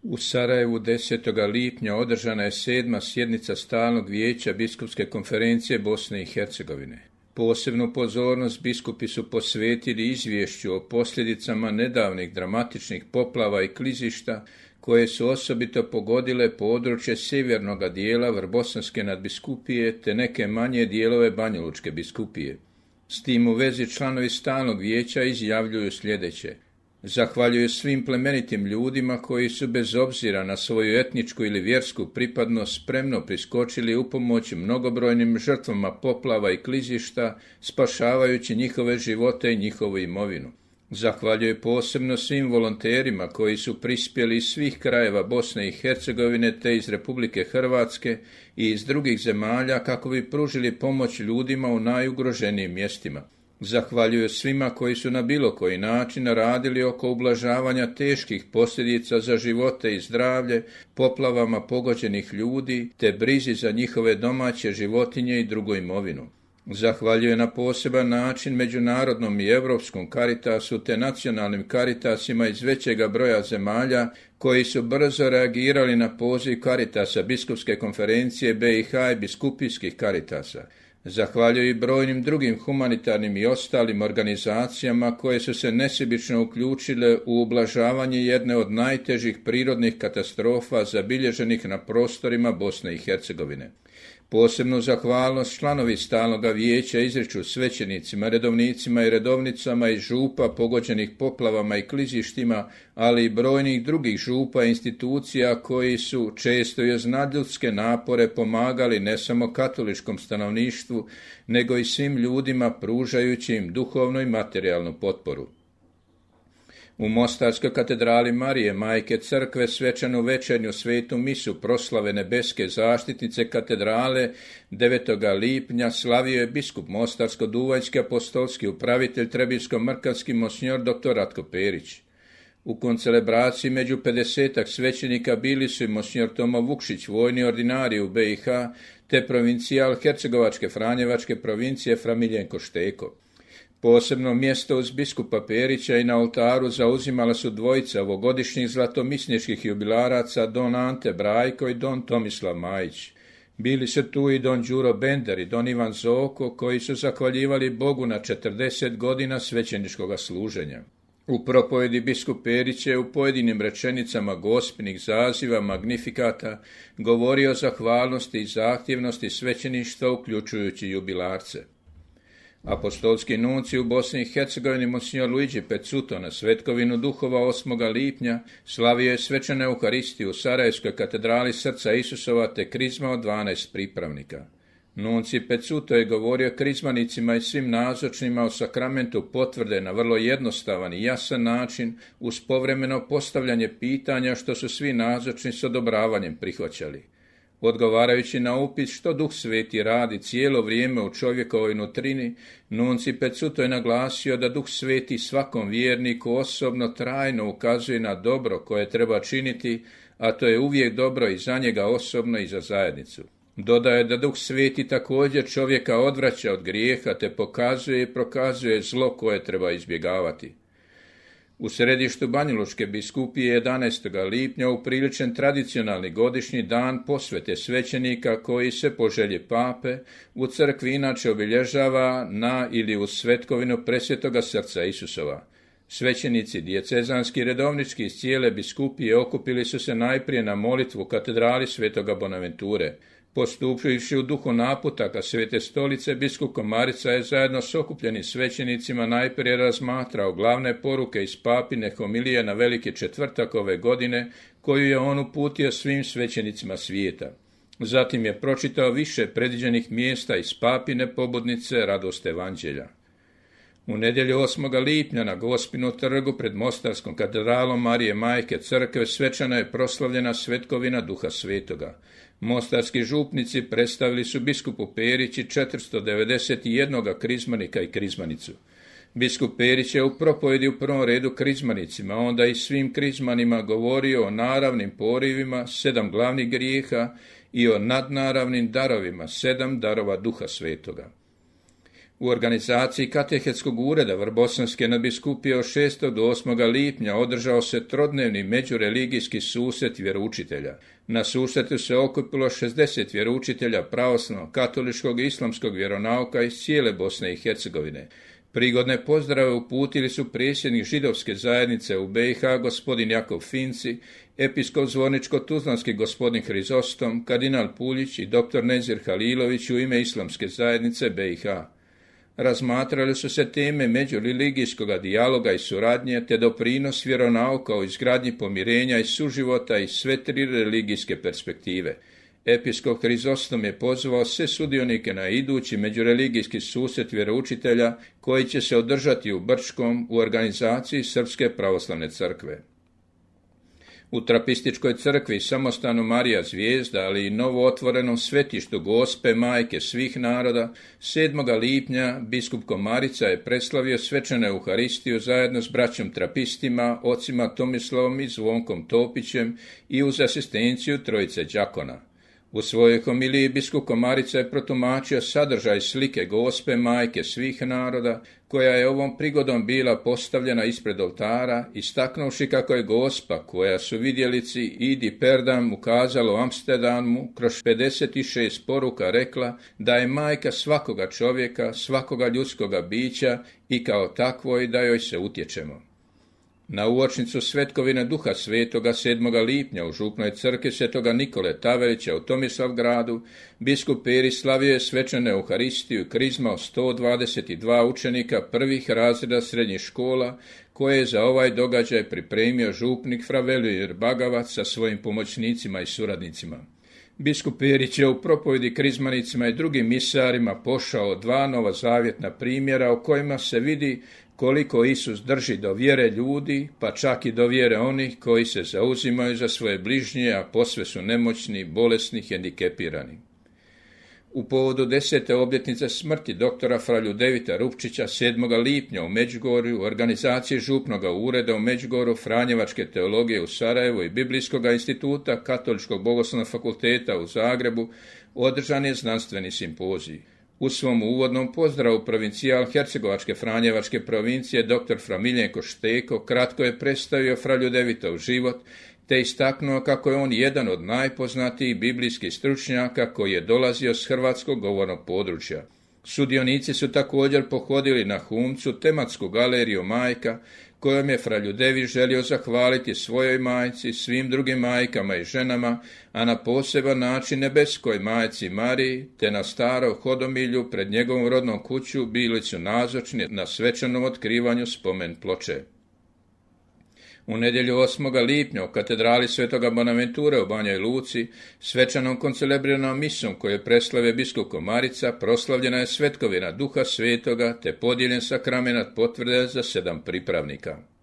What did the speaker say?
U Sarajevu 10. lipnja održana je 7. sjednica Stalnog vijeća Biskupske konferencije Bosne i Hercegovine. Posebnu pozornost biskupi su posvetili izvješću o posljedicama nedavnih dramatičnih poplava i klizišta koje su osobito pogodile područje sjevernog dijela Vrbosanske nadbiskupije te neke manje dijelove Banjalučke biskupije. S tim u vezi članovi Stalnog vijeća izjavljuju sljedeće. Zahvaljuju svim plemenitim ljudima koji su bez obzira na svoju etničku ili vjersku pripadnost spremno priskočili u pomoć mnogobrojnim žrtvama poplava i klizišta, spašavajući njihove živote i njihovu imovinu. Zahvaljuje posebno svim volonterima koji su prispjeli iz svih krajeva Bosne i Hercegovine te iz Republike Hrvatske i iz drugih zemalja kako bi pružili pomoć ljudima u najugroženijim mjestima. Zahvaljuju svima koji su na bilo koji način radili oko ublažavanja teških posljedica za živote i zdravlje, poplavama pogođenih ljudi, te brizi za njihove domaće životinje i drugu imovinu. Zahvaljuje na poseban način međunarodnom i europskom Caritasu te nacionalnim Caritasima iz većega broja zemalja koji su brzo reagirali na poziv Caritasa Biskupske konferencije BiH i biskupijskih Caritasa. Zahvaljuju i brojnim drugim humanitarnim i ostalim organizacijama koje su se nesebično uključile u ublažavanje jedne od najtežih prirodnih katastrofa zabilježenih na prostorima Bosne i Hercegovine. Posebnu zahvalnost članovi Stalnoga vijeća izriču svećenicima, redovnicima i redovnicama iz župa pogođenih poplavama i klizištima, ali i brojnih drugih župa i institucija koji su često i uz nadljudske napore pomagali ne samo katoličkom stanovništvu, nego i svim ljudima pružajući im duhovnu i materijalnu potporu. U Mostarskoj katedrali Marije, Majke Crkve, svečanu večernju svetu misu proslave nebeske zaštitnice katedrale 9. lipnja slavio je biskup Mostarsko-Duvanjski apostolski upravitelj Trebinsko-Mrkanski monsinjor dr. Ratko Perić. U koncelebraciji među 50 svećenika bili su i monsinjor Tomo Vukšić, vojni ordinarij u BiH, te provincijal Hercegovačke Franjevačke provincije Fra Miljenko Šteko. Posebno mjesto uz biskupa Perića i na oltaru zauzimala su dvojica ovogodišnjih zlatomisničkih jubilaraca, don Ante Brajko i don Tomislav Majić. Bili su tu i don Đuro Bender i don Ivan Zoko, koji su zahvaljivali Bogu na 40 godina svećeničkog služenja. U propovedi biskup Perić je u pojedinim rečenicama gospinih zaziva, magnifikata, govorio o zahvalnosti i zahtjevnosti svećeništva, uključujući jubilarce. Apostolski nunci u Bosni i Hercegovini monsinjor Luigi Pezzuto na svetkovinu duhova 8. lipnja slavio je svečanu Euharistiju u Sarajevskoj katedrali Srca Isusova te krizma od 12 pripravnika. Nunci Pezzuto je govorio krizmanicima i svim nazočnima o sakramentu potvrde na vrlo jednostavan i jasan način uz povremeno postavljanje pitanja što su svi nazočni s odobravanjem prihvaćali. Odgovarajući na upit što Duh Sveti radi cijelo vrijeme u čovjekovoj nutrini, nunci Pezzuto je naglasio da Duh Sveti svakom vjerniku osobno trajno ukazuje na dobro koje treba činiti, a to je uvijek dobro i za njega osobno i za zajednicu. Dodaje da Duh Sveti također čovjeka odvraća od grijeha te pokazuje i prokazuje zlo koje treba izbjegavati. U središtu Banjalučke biskupije 11. lipnja upriličen tradicionalni godišnji dan posvete svećenika koji se po želji pape u crkvi inače obilježava na ili uz svetkovinu Presvetoga Srca Isusova. Svećenici dijecezanski redovnički iz cijele biskupije okupili su se najprije na molitvu u katedrali Svetoga Bonaventure. Postupivši u duhu naputaka Svete stolice, biskup Komarica je zajedno s okupljenim svećenicima najprije razmatrao glavne poruke iz papine homilije na Veliki četvrtak ove godine, koju je on uputio svim svećenicima svijeta. Zatim je pročitao više predviđenih mjesta iz papine pobudnice Radost Evanđelja. U nedjelju 8. lipnja na Gospinu trgu pred Mostarskom katedralom Marije Majke Crkve svečano je proslavljena svetkovina Duha Svetoga. Mostarski župnici predstavili su biskupu Perići 491 krizmanika i krizmanicu. Biskup Perić je u propovedi u prvom redu krizmanicima, onda i svim krizmanima govorio o naravnim porivima, 7 glavnih grijeha i o nadnaravnim darovima, 7 darova Duha Svetoga. U organizaciji katehetskog ureda Vrbosanske nadbiskupije od 6. do 8. lipnja održao se trodnevni međureligijski susret vjeroučitelja. Na susretu se okupilo 60 vjeroučitelja pravoslavnog, katoličkog i islamskog vjeronauka iz cijele Bosne i Hercegovine. Prigodne pozdrave uputili su predsjednik židovske zajednice u BiH gospodin Jakov Finci, episkop Zvorničko-tuzlanski gospodin Hrizostom, kardinal Puljić i dr. Nezir Halilović u ime islamske zajednice BiH. Razmatrali su se teme međureligijskog dijaloga i suradnje te doprinos vjeronauka u izgradnji pomirenja i suživota iz sve tri religijske perspektive. Episkop Hrizostom je pozvao sve sudionike na idući međureligijski susret vjeroučitelja koji će se održati u Brčkom u organizaciji Srpske pravoslavne crkve. U trapističkoj crkvi samostanu Marija Zvijezda, ali i novo otvorenom svetištu Gospe Majke svih naroda, 7. lipnja biskup Komarica je preslavio svečanu Euharistiju zajedno s braćom trapistima, ocima Tomislavom i Zvonkom Topićem i uz asistenciju trojice đakona. U svojoj homiliji biskup Komarica je protumačio sadržaj slike Gospe Majke svih naroda, koja je ovom prigodom bila postavljena ispred oltara, istaknuvši kako je Gospa, koja su vidjelici Idi Perdam ukazalo u Amsterdamu kroz 56 poruka rekla da je majka svakoga čovjeka, svakoga ljudskoga bića i kao takvoj da joj se utječemo. Na uočnicu svetkovine Duha Svetoga 7. lipnja u župnoj crkvi Svetoga Nikole Tavelića u Tomislavgradu biskup Peri slavio je svečanu Euharistiju i krizmao 122 učenika prvih razreda srednjih škola koje je za ovaj događaj pripremio župnik fra Velimir Bagavac sa svojim pomoćnicima i suradnicima. Biskup Perić je u propovjedi krizmanicima i drugim misarima pošao dva novozavjetna primjera o kojima se vidi koliko Isus drži do vjere ljudi, pa čak i do vjere onih koji se zauzimaju za svoje bližnje, a posve su nemoćni, bolesni, hendikepirani. U povodu 10. obljetnice smrti doktora fra Ljudevita Rupčića 7. lipnja u Međugorju, u organizaciji župnoga ureda u Međugorju, Franjevačke teologije u Sarajevu i Biblijskog instituta Katoličkog bogoslovnog fakulteta u Zagrebu održan je znanstveni simpozij. U svom uvodnom pozdravu provincijal Hercegovačke Franjevačke provincije dr. fra Miljenko Šteko kratko je predstavio fra Ljudevitov život te istaknuo kako je on jedan od najpoznatijih biblijskih stručnjaka koji je dolazio s hrvatskog govornog područja. Sudionici su također pohodili na Humcu tematsku galeriju majka kojom je fra Ljudević želio zahvaliti svojoj majci, svim drugim majkama i ženama, a na poseban način nebeskoj majci Mariji, te na starom hodomilju pred njegovom rodnom kuću bili su nazočni na svečanom otkrivanju spomen ploče. U nedjelju 8. lipnja u katedrali Svetoga Bonaventure u Banjoj Luci, svečanom koncelebriranom misom koju je preslavio biskup Komarica, proslavljena je svetkovina Duha Svetoga te podijeljen sakramenat potvrde za 7 pripravnika.